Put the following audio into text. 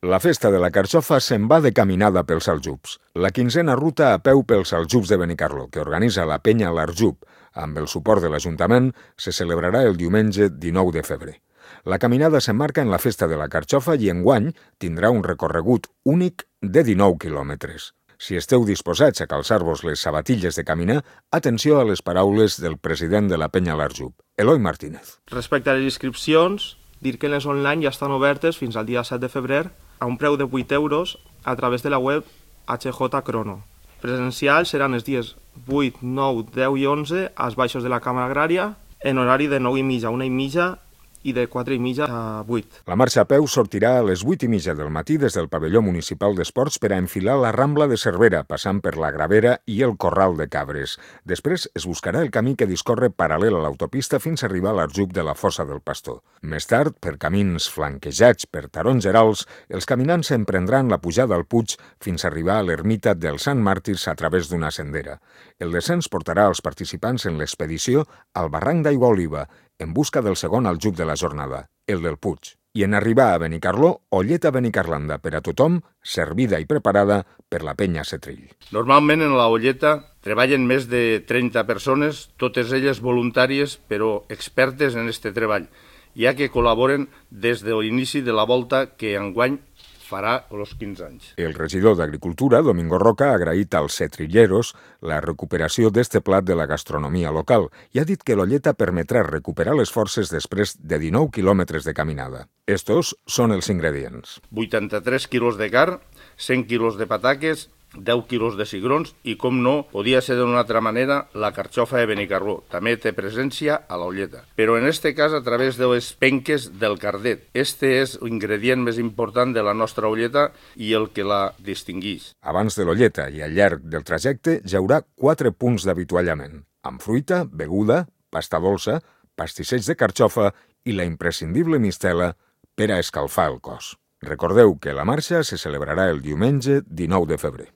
La festa de la carxofa se'n va de caminada pels Aljubs. La quinzena ruta a peu pels Aljubs de Benicarló, que organitza la penya L'Arjub, amb el suport de l'Ajuntament, se celebrarà el diumenge 19 de febrer. La caminada s'emmarca en la festa de la carxofa i enguany tindrà un recorregut únic de 19 quilòmetres. Si esteu disposats a calçar-vos les sabatilles de caminar, atenció a les paraules del president de la penya L'Arjub, Eloi Martínez. Respecte a les inscripcions, dir que les online ja estan obertes fins al dia 7 de febrer a un preu de 8 euros a través de la web HJ Crono. Presencials seran els dies 8, 9, 10 i 11 als baixos de la Càmera Agrària en horari de 9:30 a 1:30 i de 4:30 a 8. La marxa a peu sortirà a les 8:30 del matí des del pavelló municipal d'esports per a enfilar la Rambla de Cervera, passant per la Gravera i el Corral de Cabres. Després es buscarà el camí que discorre paral·lel a l'autopista fins a arribar a l'Arjub de la Fossa del Pastor. Més tard, per camins flanquejats per tarongerals, els caminants emprendran la pujada al Puig fins a arribar a l'ermita dels Sant Màrtirs a través d'una sendera. El descens portarà els participants en l'expedició al barranc d'Aigua Oliva, en busca del segon aljub de la jornada, el del Puig. I en arribar a Benicarló, olleta benicarlanda per a tothom, servida i preparada per la penya Setrill. Normalment en la olleta treballen més de 30 persones, totes elles voluntàries però expertes en aquest treball, ja que col·laboren des de l'inici de la volta que enguany farà els 15 anys. El regidor d'Agricultura, Domingo Roca, ha agraït als setrilleros la recuperació d'este plat de la gastronomia local i ha dit que l'olleta permetrà recuperar les forces després de 19 quilòmetres de caminada. Estos són els ingredients. 83 quilos de carn, 100 quilos de pataques, 10 quilos de cigrons i, com no, podia ser d'una altra manera, la carxofa de Benicarló. També té presència a l'olleta. Però en este cas a través de les penques del cardet. Este és l'ingredient més important de la nostra olleta i el que la distingueix. Abans de l'olleta i al llarg del trajecte hi haurà 4 punts d'avituallament, amb fruita, beguda, pasta dolça, pastisseig de carxofa i la imprescindible mistela per a escalfar el cos. Recordeu que la marxa se celebrarà el diumenge 19 de febrer.